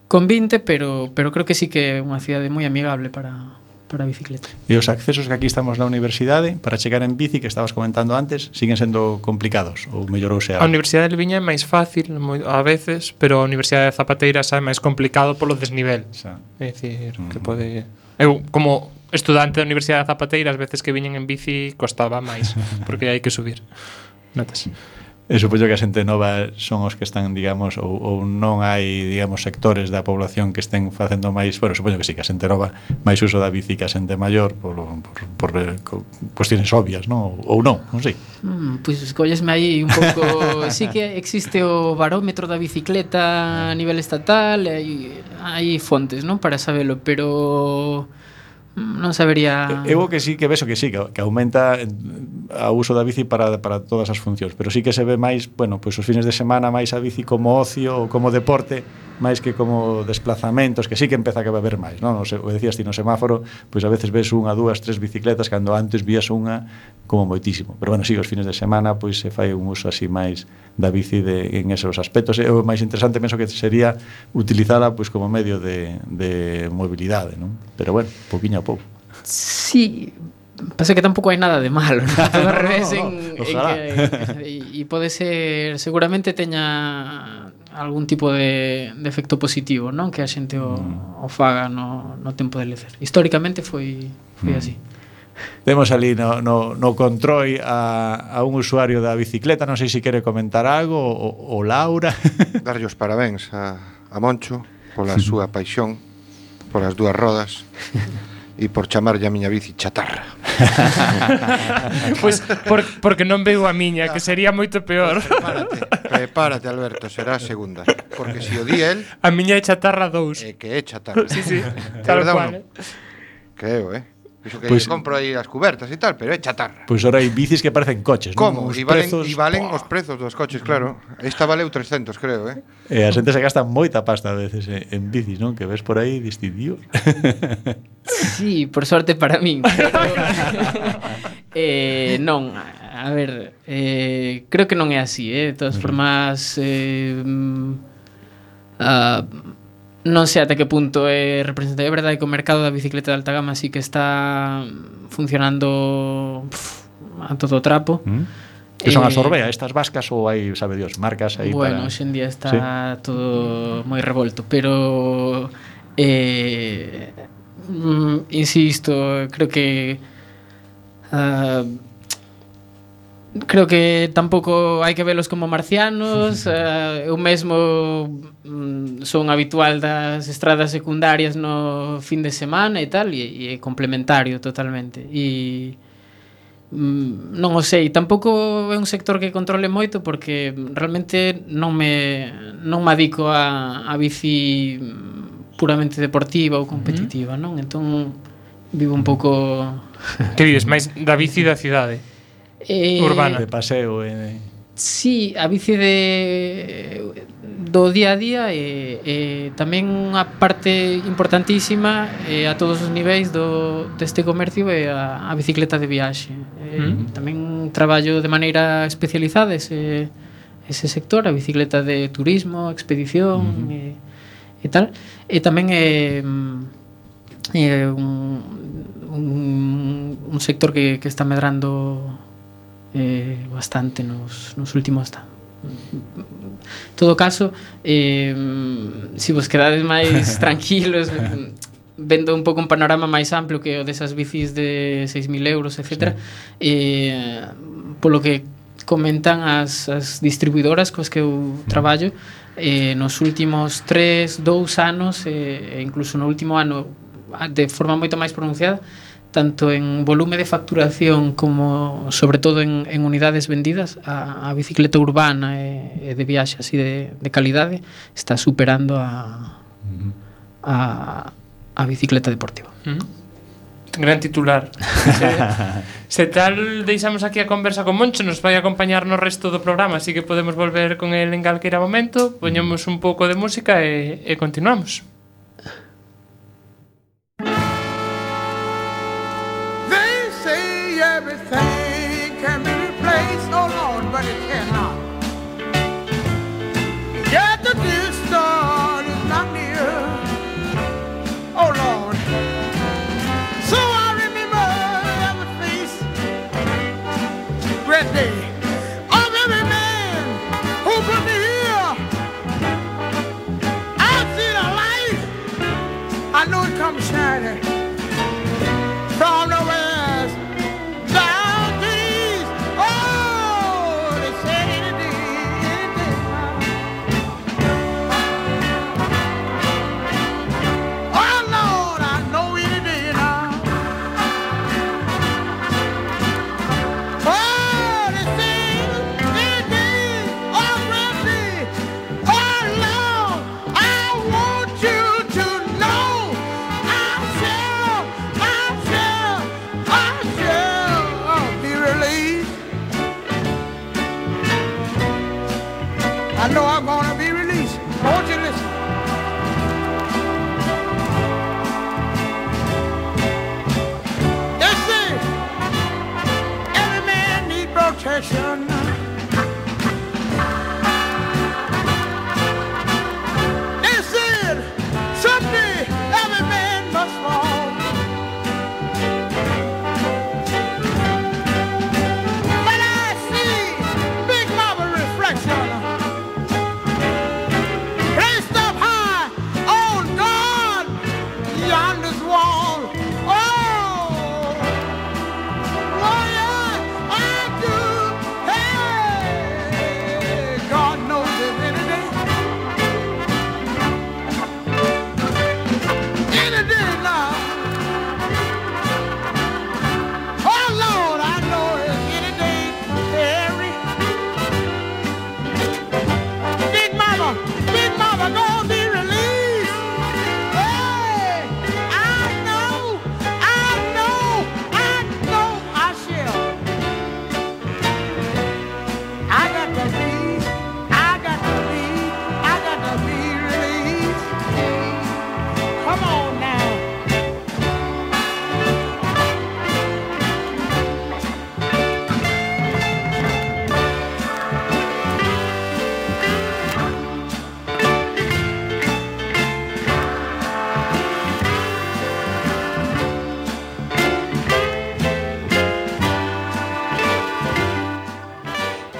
convinte, pero, pero creo que sí que é unha cidade moi amigable para para a bicicleta. E os accesos que aquí estamos na universidade para chegar en bici, que estabas comentando antes, siguen sendo complicados ou mellorouse a... A Universidade de Viña é máis fácil moi, a veces, pero a Universidade de Zapateiras é máis complicado polo desnivel. Xa. É dicir, mm. que pode... Eu, como estudante da Universidade de Zapateiras, as veces que viñen en bici costaba máis, porque hai que subir. Notas. E supoño que a xente nova son os que están, digamos, ou, ou non hai, digamos, sectores da población que estén facendo máis, bueno, supoño que sí, que a xente nova máis uso da bici que a xente maior por, por, por cuestiones obvias, non? Ou non, non sei. Mm, pois pues, collesme aí un pouco... sí que existe o barómetro da bicicleta a nivel estatal, hai, hai fontes, non? Para sabelo, pero... non sabería... Eu que sí que vexo que sí, que, que aumenta a uso da bici para, para todas as funcións, pero sí que se ve máis, bueno, pois os fines de semana máis a bici como ocio ou como deporte, máis que como desplazamentos, que sí que empeza a haber máis, non? O, o decías ti no semáforo, pois a veces ves unha, dúas, tres bicicletas cando antes vías unha como moitísimo. Pero bueno, sí, os fines de semana pois se fai un uso así máis da bici de, en esos aspectos. E o máis interesante penso que sería utilizala pois como medio de, de mobilidade, non? Pero bueno, poquinho a pouco. Sí, pasa que tampouco hai nada de malo, ¿no? Todo ao revés no, no, no. en, en que e pode ser, seguramente teña algún tipo de, de efecto positivo, non? Que a xente o, mm. o faga no, no tempo de lecer. Históricamente foi foi mm. así. Temos ali no, no, no control a, a un usuario da bicicleta, non sei se quere comentar algo, o, o Laura. Darlle os parabéns a, a Moncho pola súa paixón polas dúas rodas e por chamarlle a miña bici chatarra. Pois pues por, porque non veo a miña, que sería moito peor. Pues prepárate, prepárate, Alberto, será a segunda. Porque se o di el... A miña é chatarra dous. É que é chatarra. Sí, sí, tal cual. Creo, eh? Iso que pues, compro aí as cubertas e tal, pero é chatarra. Pois pues ora hai bicis que parecen coches, como? Non? E valen, prezos, valen os prezos dos coches, claro. Esta valeu trescentos, creo, eh? E a xente se gasta moita pasta a veces en bicis, non? Que ves por aí distintivos. Sí, por sorte para min. Pero... eh, non, a ver, eh, creo que non é así, eh? De todas formas, eh, uh, non sei ata que punto é representativo. É verdade que o mercado da bicicleta de alta gama sí que está funcionando pff, a todo trapo. Mm. Que son as Orbea, estas vascas, ou hai, sabe Dios, marcas aí bueno, para... Bueno, hoxendía está sí. todo moi revolto, pero eh, mm, insisto, creo que uh, creo que tampouco hai que velos como marcianos. uh, eu mesmo mm, son habitual das estradas secundarias no fin de semana e tal, e, e é complementario totalmente, e mm, non o sei, tampouco é un sector que controle moito, porque realmente non me non me adico a, a bici puramente deportiva ou competitiva, non? Entón vivo un pouco... Que vives máis da bici da cidade? Eh, urbana. De paseo e... Sí, a bici de do día a día e, e tamén unha parte importantísima e a todos os niveis do deste comercio é a, a bicicleta de viaxe. E, mm. Tamén traballo de maneira especializada ese, ese sector, a bicicleta de turismo, expedición mm. e, e tal. E tamén é, é un, un, un sector que, que está medrando Eh, bastante nos, nos últimos ta. En todo caso, eh, se vos quedades máis tranquilos, vendo un pouco un panorama máis amplio que o desas bicis de seis mil euros, etcétera, sí. eh, polo que comentan as, as distribuidoras coas que eu traballo, eh, nos últimos tres, dous anos e eh, incluso no último ano de forma moito máis pronunciada, tanto en volume de facturación como sobre todo en, en unidades vendidas, a, a bicicleta urbana e, e de viaxe así de, de calidade está superando a, a, a bicicleta deportiva. Uh-huh. Gran titular. se, se tal deixamos aquí a conversa con Moncho, nos vai acompañar no resto do programa, así que podemos volver con el en calquera momento. Poñemos un pouco de música e, e continuamos. They say everything can be replaced, oh Lord, but it cannot. Yet the distant is not near, oh Lord. So I remember every face, great day of every man who put me here. I see the light, I know it comes shining from the west, down the east. Oh, they said it did, it oh Lord, I know it did now. Oh, they said it did already. Oh Lord, I want you to know I shall, I shall, I shall be released. I know I'm gonna be released. I want you to listen. They say every man needs protection. They said someday every man must fall. But I see Big Mama reflection placed up high on God yonder's wall. Oh, oh yeah, I do. Hey, God knows it any day. Any day now. Oh Lord, I know it's any day. Harry. Big Mama, Big Mama gonna be released. Hey, I know, I know, I know I shall. I got to be, I got to be, I got to be released. Come on now.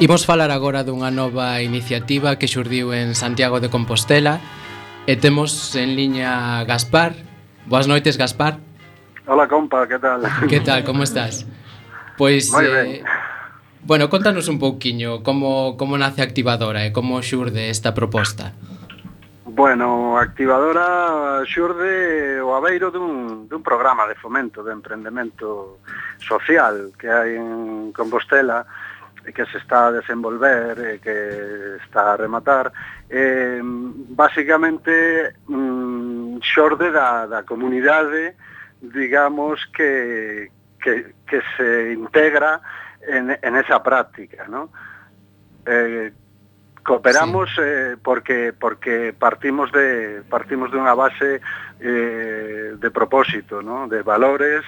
Imos falar agora dunha nova iniciativa que xurdiu en Santiago de Compostela e temos en liña Gaspar. Boas noites, Gaspar. Hola, compa, que tal? Que tal, como estás? Pois, Moi eh, ben. bueno, contanos un pouquiño como, como nace Activadora e como xurde esta proposta. Bueno, Activadora xurde o abeiro dun, dun programa de fomento de emprendemento social que hai en Compostela e que se está a desenvolver e que está a rematar. Eh, básicamente mm, xorde da, da comunidade, digamos, que, que, que se integra en, en esa práctica, ¿no? Eh, cooperamos sí. eh, porque porque partimos de partimos de unha base eh, de propósito, ¿no? De valores.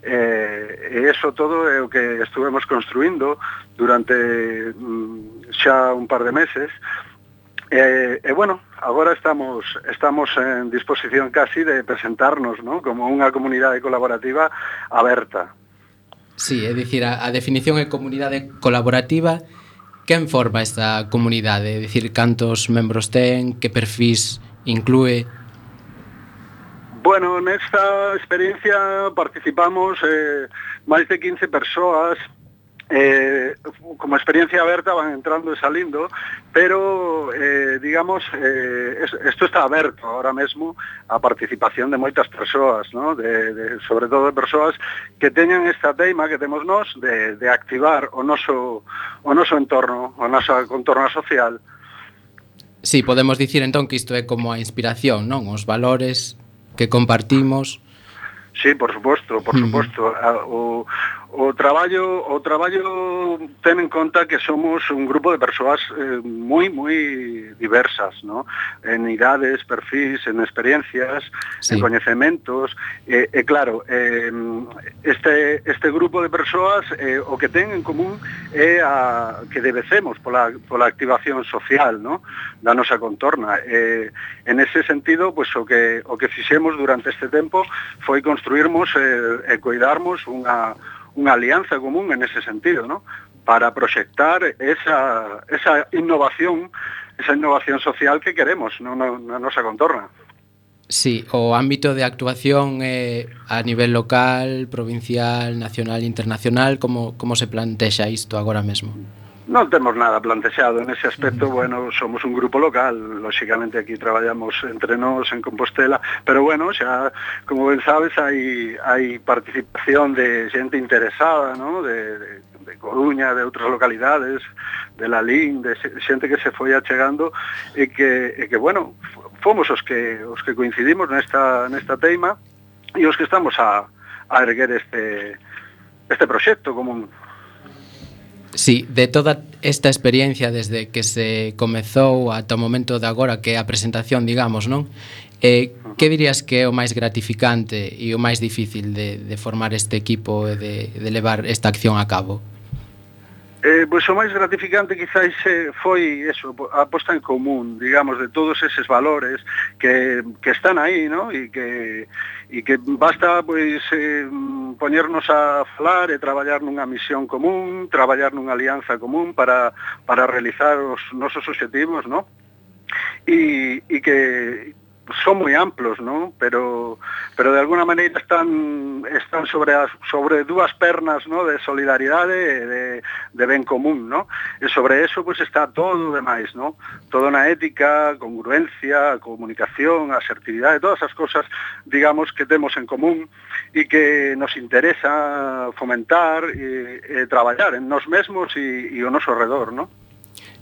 Eh, e eso todo é o que estuvemos construindo durante mm, xa un par de meses e, e bueno, agora estamos estamos en disposición casi de presentarnos, ¿no? Como unha comunidade colaborativa aberta. Sí, é dicir, a, a definición é comunidade colaborativa. Quen forma esta comunidade? É dicir, cantos membros ten, que perfís inclúe? Bueno, nesta experiencia participamos eh, máis de quince persoas Eh, como experiencia aberta van entrando e salindo, pero eh, digamos eh, isto está aberto ahora mesmo a participación de moitas persoas, ¿no? de, de, sobre todo de persoas que teñan esta teima que temos nós de, de activar o noso, o noso entorno, o noso contorno social. Sí, podemos dicir entón que isto é como a inspiración, non? Os valores que compartimos. Sí, por suposto, por suposto. O, o traballo o traballo ten en conta que somos un grupo de persoas eh, moi moi diversas, ¿no? En idades, perfis, en experiencias, sí. En coñecementos, e, eh, eh, claro, eh, este este grupo de persoas eh, o que ten en común é a que debecemos pola pola activación social, ¿no? Da nosa contorna. Eh, en ese sentido, pues o que o que fixemos durante este tempo foi construirmos eh, e cuidarmos unha unha alianza común en ese sentido, ¿no? Para proxectar esa, esa innovación, esa innovación social que queremos no, no, na nosa contorna. Sí, o ámbito de actuación eh, a nivel local, provincial, nacional, internacional, como, como se plantexa isto agora mesmo? Non temos nada plantexado en ese aspecto, bueno, somos un grupo local, lóxicamente aquí traballamos entre nós en Compostela, pero bueno, xa, como ben sabes, hai, hai participación de xente interesada, ¿no? de, de, de Coruña, de outras localidades, de Lalín, de xente que se foi achegando e que, e que bueno, fomos os que, os que coincidimos nesta, nesta teima e os que estamos a, a erguer este, este proxecto común. Sí, de toda esta experiencia desde que se comezou ata o momento de agora, que é a presentación, digamos, non? Eh, que dirías que é o máis gratificante e o máis difícil de, de formar este equipo e de, de levar esta acción a cabo? Eh, pois o máis gratificante quizás foi eso, a posta en común, digamos, de todos eses valores que, que están aí, ¿no? E que e que basta pois eh, poñernos a falar e traballar nunha misión común, traballar nunha alianza común para para realizar os nosos obxectivos, ¿no? E e que son moi amplos, ¿no? Pero pero de alguna maneira están están sobre as, sobre dúas pernas, ¿no? De solidaridade e de de ben común, ¿no? E sobre eso pues está todo o demais, ¿no? Todo na ética, congruencia, comunicación, asertividade, todas as cosas, digamos, que temos en común e que nos interesa fomentar e, e traballar en nós mesmos e, e o noso redor, ¿no?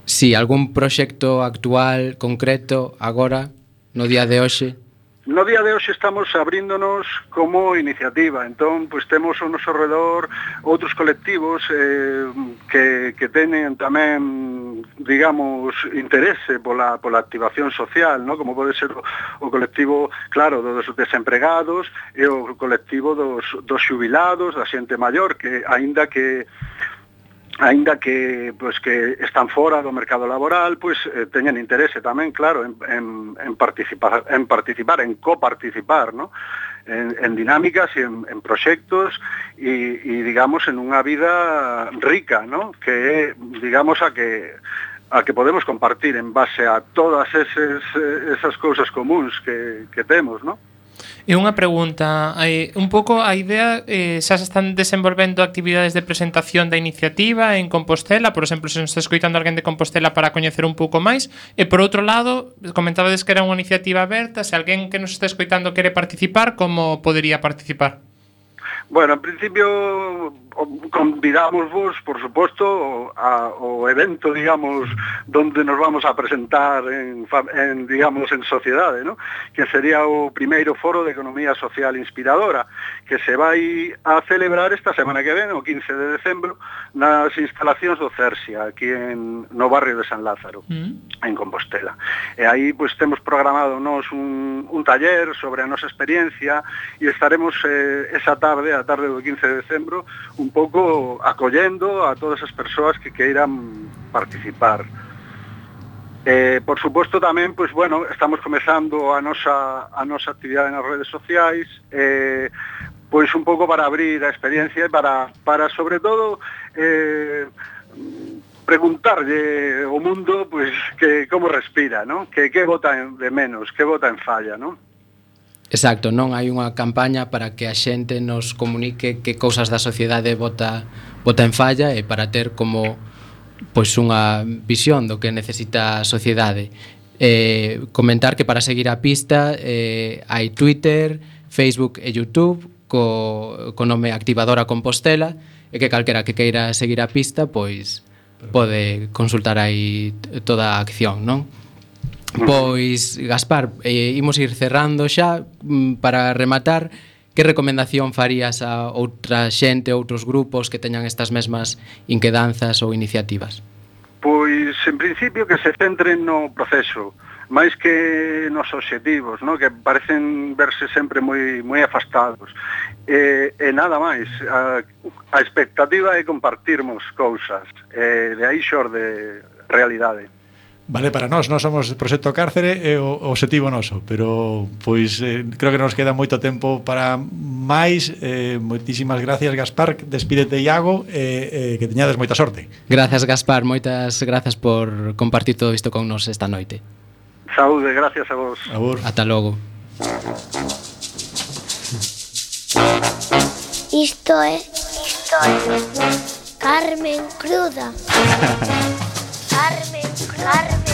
Sí, algún proxecto actual, concreto, agora, no día de hoxe? No día de hoxe estamos abríndonos como iniciativa, entón, pois temos ao noso redor outros colectivos eh, que, que teñen tamén, digamos, interese pola, pola activación social, ¿no? Como pode ser o, o colectivo, claro, dos desempregados e o colectivo dos, dos xubilados, da xente maior, que aínda que aínda que pues que están fora do mercado laboral, pues eh, teñen interese tamén, claro, en, en, en participar, en participar, en coparticipar, ¿no? En, en dinámicas e en, en proxectos e, e digamos en unha vida rica, ¿no? Que é, digamos, a que a que podemos compartir en base a todas eses, esas cousas comuns que, que temos, ¿no? E unha pregunta, eh, un pouco a idea, eh, xa se están desenvolvendo actividades de presentación da iniciativa en Compostela, por exemplo, se nos está escoitando alguén de Compostela para coñecer un pouco máis, e por outro lado, comentabades que era unha iniciativa aberta, se alguén que nos está escoitando quere participar, como podería participar? Bueno, en principio convidamos vos, por suposto, ao evento, digamos, donde nos vamos a presentar en, en digamos, en sociedade, ¿no? Que sería o primeiro foro de economía social inspiradora, que se vai a celebrar esta semana que ven, o quince de decembro, nas instalacións do Cersia, aquí en, no barrio de San Lázaro, mm. en Compostela. E aí, pois, temos programado nos un, un taller sobre a nosa experiencia e estaremos eh, esa tarde, a tarde do quince de decembro, un pouco acollendo a todas as persoas que queiran participar. Eh, por suposto tamén, pois, bueno, estamos comezando a nosa, a nosa actividade nas redes sociais, eh, pois un pouco para abrir a experiencia e para, para sobre todo, eh, preguntarlle ao mundo, pois, que como respira, ¿no? Que que bota de menos, que bota en falla, ¿no? Exacto, non hai unha campaña para que a xente nos comunique que cousas da sociedade bota, bota en falla e para ter como pois unha visión do que necesita a sociedade. Eh, comentar que para seguir a pista eh, hai Twitter, Facebook e YouTube co, co nome Activadora Compostela e que calquera que queira seguir a pista pois pode consultar aí toda a acción, non? Pois, Gaspar, eh, imos ir cerrando xa para rematar. Que recomendación farías a outra xente, outros grupos que teñan estas mesmas inquedanzas ou iniciativas? Pois, en principio, que se centren no proceso, máis que nos obxectivos, no? Que parecen verse sempre moi moi afastados. E, e nada máis, a, a expectativa é compartirmos cousas, e de aí xorde realidade. Vale, para nós, nós somos Proxecto Cárcere e o obxectivo noso, pero pois eh, creo que nos queda moito tempo para máis. Eh, moitísimas gracias, Gaspar, despídete, Iago, e eh, que teñades moita sorte. Gracias, Gaspar, moitas grazas por compartir todo isto con nos esta noite. Saúde, gracias a vos. Abur. Ata logo. Isto é Isto é Carmen Cruda. Carmen, Carmen Cruda.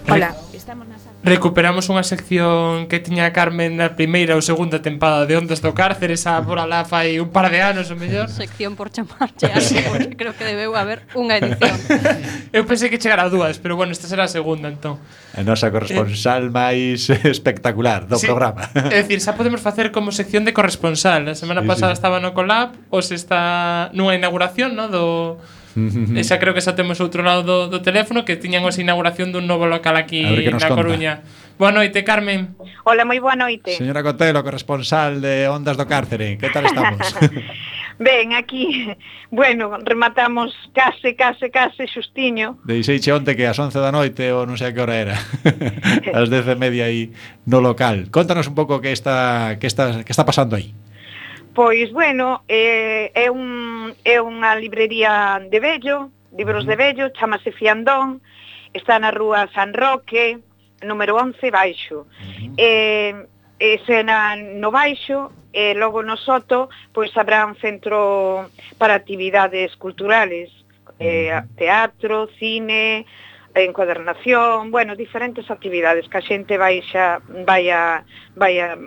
Hola. Recuperamos unha sección que tiña Carmen na primeira ou segunda tempada de Ondas do Cárcere, esa por alá fai un par de anos ou mellor. Sección por chamarche así, porque creo que debeu haber unha edición. Eu pensei que chegara a dúas, pero bueno, esta será a segunda entón. A nosa corresponsal eh, máis espectacular do sí, programa. É dicir, xa podemos facer como sección de corresponsal. A semana sí, pasada sí. estaba no Colab, os está nunha inauguración, no, do e xa creo que xa temos outro lado do, do teléfono que tiñan a inauguración dun novo local aquí na conta. Coruña. Boa noite, Carmen. Hola, moi boa noite. Señora Cotelo, corresponsal de Ondas do Cárcere. Que tal estamos? Ben, aquí, bueno, rematamos case, case, case xustiño. Deixeiche onte que ás once da noite ou non sei a que hora era. Ás dez e media aí no local. Contanos un pouco que está que está que está pasando aí. Pois, bueno, é, é, un, é unha librería de vello, libros de vello, chamase Fiandón, está na rúa San Roque, número once, baixo. Uh-huh. E, ese na, no baixo, e logo no soto, pois habrá un centro para actividades culturales, eh, teatro, cine, encuadernación, bueno, diferentes actividades que a xente vai xa vai a, vai a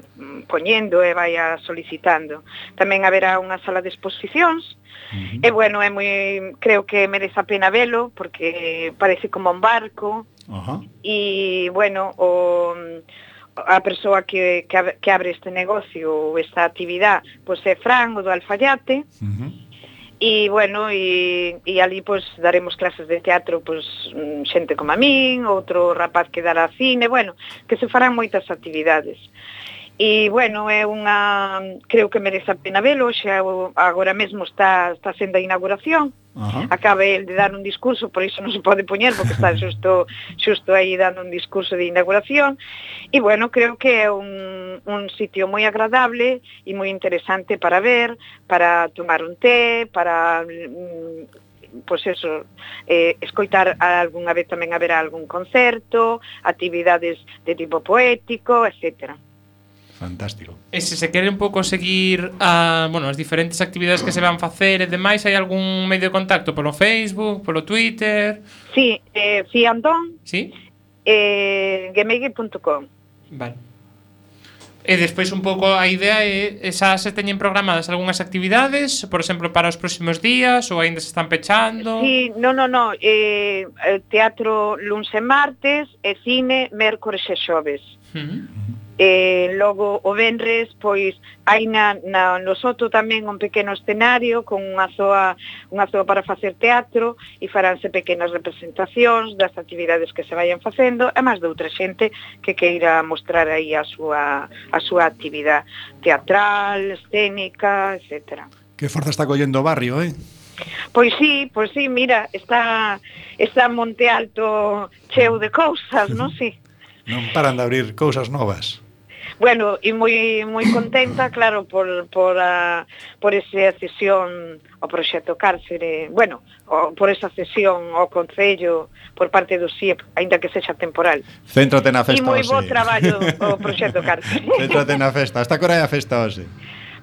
poñendo e vai a solicitando. Tamén haberá unha sala de exposicións. Uh-huh. E bueno, é moi, creo que merece a pena velo porque parece como un barco. Uh-huh. E bueno, o a persoa que, que, que abre este negocio ou esta actividade, pois é Fran, o do Alfaiate. Uh-huh. E, bueno, e, e ali, pois, daremos clases de teatro, pois, xente como a min, outro rapaz que dará cine, bueno, que se farán moitas actividades. E, bueno, é unha... creo que merece a pena velo, xa agora mesmo está, está sendo a inauguración. Uh-huh. Acaba el de dar un discurso, por iso non se pode poñer, porque está xusto, xusto aí dando un discurso de inauguración. E, bueno, creo que é un, un sitio moi agradable e moi interesante para ver, para tomar un té, para... pois eso, eh, escoitar algunha vez tamén haberá algún concerto, actividades de tipo poético, etcétera. Fantástico. E se se quere un pouco seguir a, bueno, as diferentes actividades que se van facer e demais, hai algún medio de contacto polo Facebook, polo Twitter? Sí, eh, Fiandón. Sí. Eh, gmail punto com. Vale. E despois un pouco a idea é xa se teñen programadas algunhas actividades, por exemplo, para os próximos días ou aínda se están pechando? Sí, no, no, no, eh, teatro luns e martes e cine mércores e xoves. Uh-huh. E logo o venres, pois hai na, na no soto tamén un pequeno escenario con unha zoa, unha zoa para facer teatro e faránse pequenas representacións das actividades que se vayan facendo e máis de outra xente que queira mostrar aí a súa, a súa actividade teatral, escénica, etcétera. Que forza está collendo o barrio, eh? Pois sí, pois sí, mira, está está Monte Alto cheo de cousas, non? Sí. Non paran de abrir cousas novas. Bueno, e moi moi contenta, claro, por por a por esa cesión ao proxecto Cárcere, bueno, o, por esa cesión ao Concello por parte do S I E P, aínda que sexa temporal. Céntrate na E festa moi bo hoxe. traballo o proxecto Cárcere. Céntrate na festa. Hasta que hora é a festa hoxe?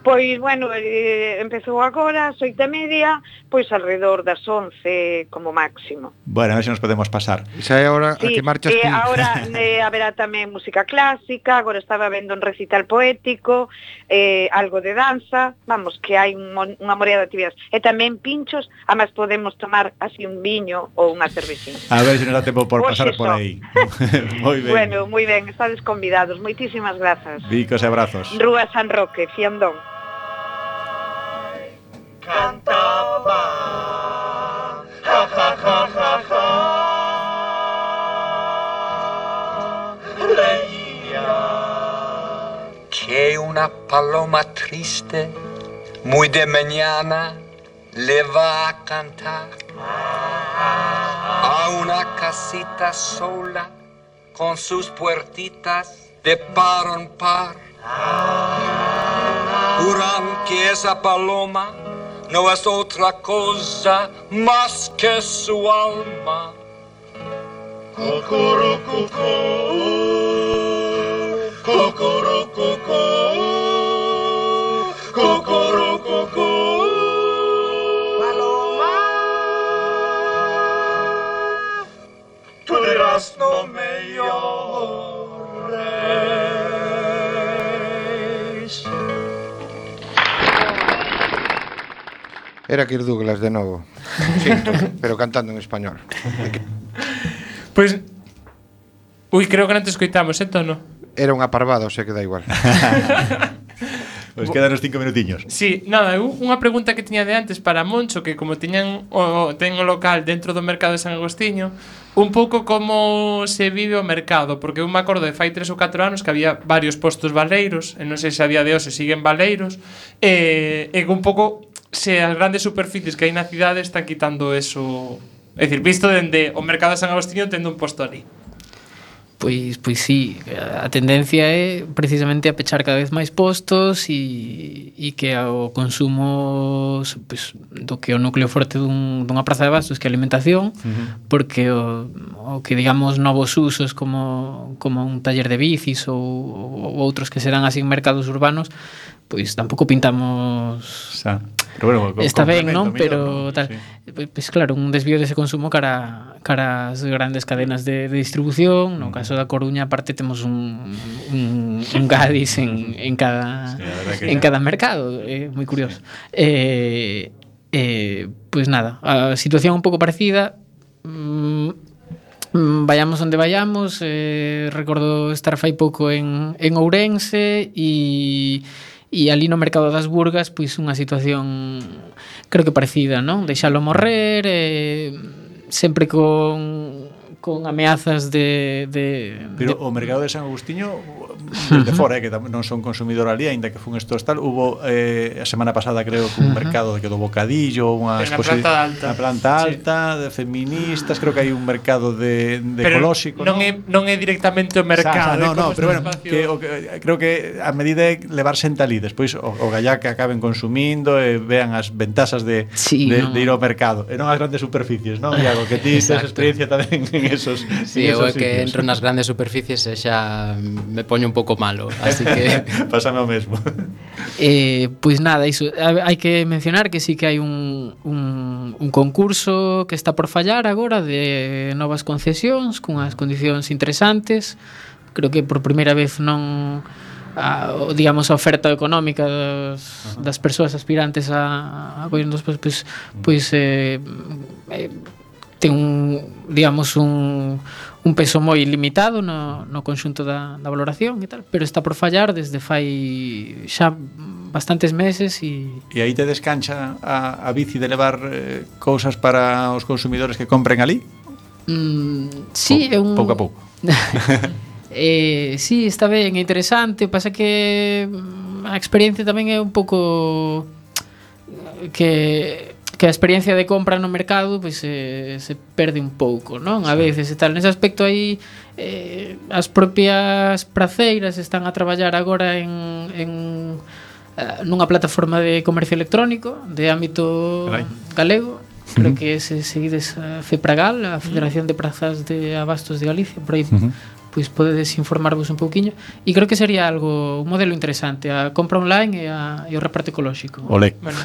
Pois, bueno, eh, empezou agora, ás oito e media, pois alrededor das once como máximo. Bueno, a ver se nos podemos pasar. Esa é a hora a que marchas eh, ti. Agora eh, haberá tamén música clásica, agora estaba vendo un recital poético, eh, algo de danza, vamos, que hai un, mon- unha morea de actividades. E tamén pinchos, además podemos tomar así un viño ou unha cerveciña. A ver se nos dá tempo por Hoxe pasar por só. aí. Moi ben. Bueno, moi ben, estades convidados. Moitísimas grazas. Bicos e abrazos. Rúa San Roque, Fiandón. Cantaba, ja, ja, ja, ja, ja. Reía. Que una paloma triste, muy de mañana, le va a cantar a una casita sola con sus puertitas de par en par. Juran que esa paloma no es otra cosa más que su alma. Cucurucucú, cucurucucú, cucurucucú. Paloma, tú dirás no me llores. Era Kirk Douglas de novo. Sinto, pero cantando en español. Pois Ui, creo que non te escoitamos, eh, tono. Era unha parvada, o sea que dá igual. Pois quedan os cinco minutiños. Sí, nada, eu unha pregunta que tiña de antes para Moncho, que como tiñan o, ten o local dentro do mercado de San Agostiño, un pouco como se vive o mercado, porque eu me acordo de fai tres ou catro anos que había varios postos baleiros, e non sei se a día de hoxe siguen baleiros, e, e un pouco se as grandes superficies que hai na cidade están quitando eso, é dicir, visto dende o mercado de San Agostiño tendo un posto ali. Pois, pois sí, a tendencia é precisamente a pechar cada vez máis postos e, e que o consumo pois, do que o núcleo forte dun, dunha praza de bastos que a alimentación, uh-huh. porque o, o que digamos novos usos como, como un taller de bicis ou, ou outros que se dan así en mercados urbanos, pois tampouco pintamos... Xa. Pero bueno, está ben, non? Mellor, Pero ¿no? tal, Sí. Pois claro, un desvío dese consumo cara cara as grandes cadenas de, de distribución. No caso da Coruña, aparte temos un un, un Gadis en, en cada sí, en cada mercado, é eh, moi curioso. Eh, eh, pois nada, a situación un pouco parecida. Mm, vayamos onde vayamos, eh, recordo estar fai pouco en en Ourense e E ali no mercado das Burgas, pois unha situación creo que parecida, non? Deixalo morrer, eh, sempre con con ameazas de, de Pero de... o mercado de San Agostiño desde fora, eh, que non son consumidor ali, aínda que fun estos tal, hubo eh, a semana pasada creo que un mercado de que do bocadillo, unha en planta alta, na planta alta sí. de feministas, creo que hai un mercado de, de pero ecolóxico, non, non é non é directamente o mercado, Sa, sa, no, no, pero bueno, espacio... que, o, que, creo que a medida é levar xente ali, despois o, o gallá que acaben consumindo e vean as ventasas de, sí, de, no. de ir ao mercado, e non as grandes superficies, non? Iago, que ti tes experiencia tamén en esos Sí, en eu esos é que sitios. entro nas grandes superficies e xa me poño un pouco malo, así que pásame o mesmo. Eh, pois nada, iso, hai que mencionar que sí que hai un, un, un concurso que está por fallar agora de novas concesións cunhas condicións interesantes. Creo que por primeira vez non a, digamos a oferta económica das, das persoas aspirantes a, a pois, pois, pois eh, eh, ten un, digamos, un, un peso moi limitado no, no conxunto da, da valoración e tal, pero está por fallar desde fai xa bastantes meses e... E aí te descancha a, a bici de levar eh, cousas para os consumidores que compren ali? Mm, sí, é un... Pouco a pouco. eh, sí, está ben, é interesante, pasa que a experiencia tamén é un pouco que... que a experiencia de compra no mercado pois eh, se perde un pouco, non? A veces e tal, nese aspecto aí eh, as propias praceiras están a traballar agora en, en uh, nunha plataforma de comercio electrónico de ámbito Carai. galego. Creo uh-huh. que se seguides a FEPRAGAL, a Federación de Prazas de Abastos de Galicia, por aí uh-huh. pois podedes informarvos un pouquiño, e creo que sería algo, un modelo interesante, a compra online e, a, e o reparto ecolóxico. Olé. Bueno,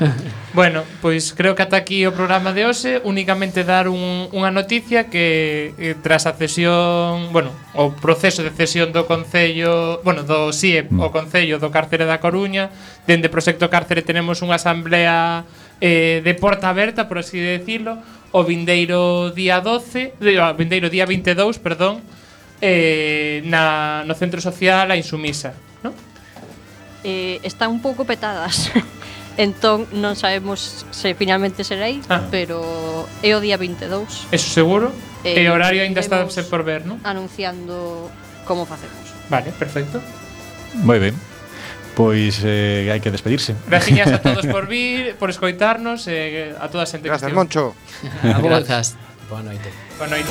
bueno, pois creo que ata aquí o programa de hoxe, únicamente dar un, unha noticia que eh, tras a cesión, bueno, o proceso de cesión do Concello, bueno, do S I E mm. o Concello do Cárcere da Coruña, dende Proxecto Cárcere tenemos unha asamblea eh, de porta aberta, por así decirlo, o vindeiro día doce, o vindeiro día vinte e dous, perdón, Eh, na, no centro social a Insumisa, ¿no? Eh, están un pouco petadas. Entón non sabemos se finalmente será aí, ah. pero é o día vinte e dous. Eso seguro. Eh, e o horario aínda está por ver, ¿no? Anunciando como facemos. Vale, perfecto. Moi ben. Pois eh, hai que despedirse. Gracias a todos por vir, por escoitarnos, eh, a toda a xente que Gracias, Moncho. Grazas. Boa noite. Boa noite.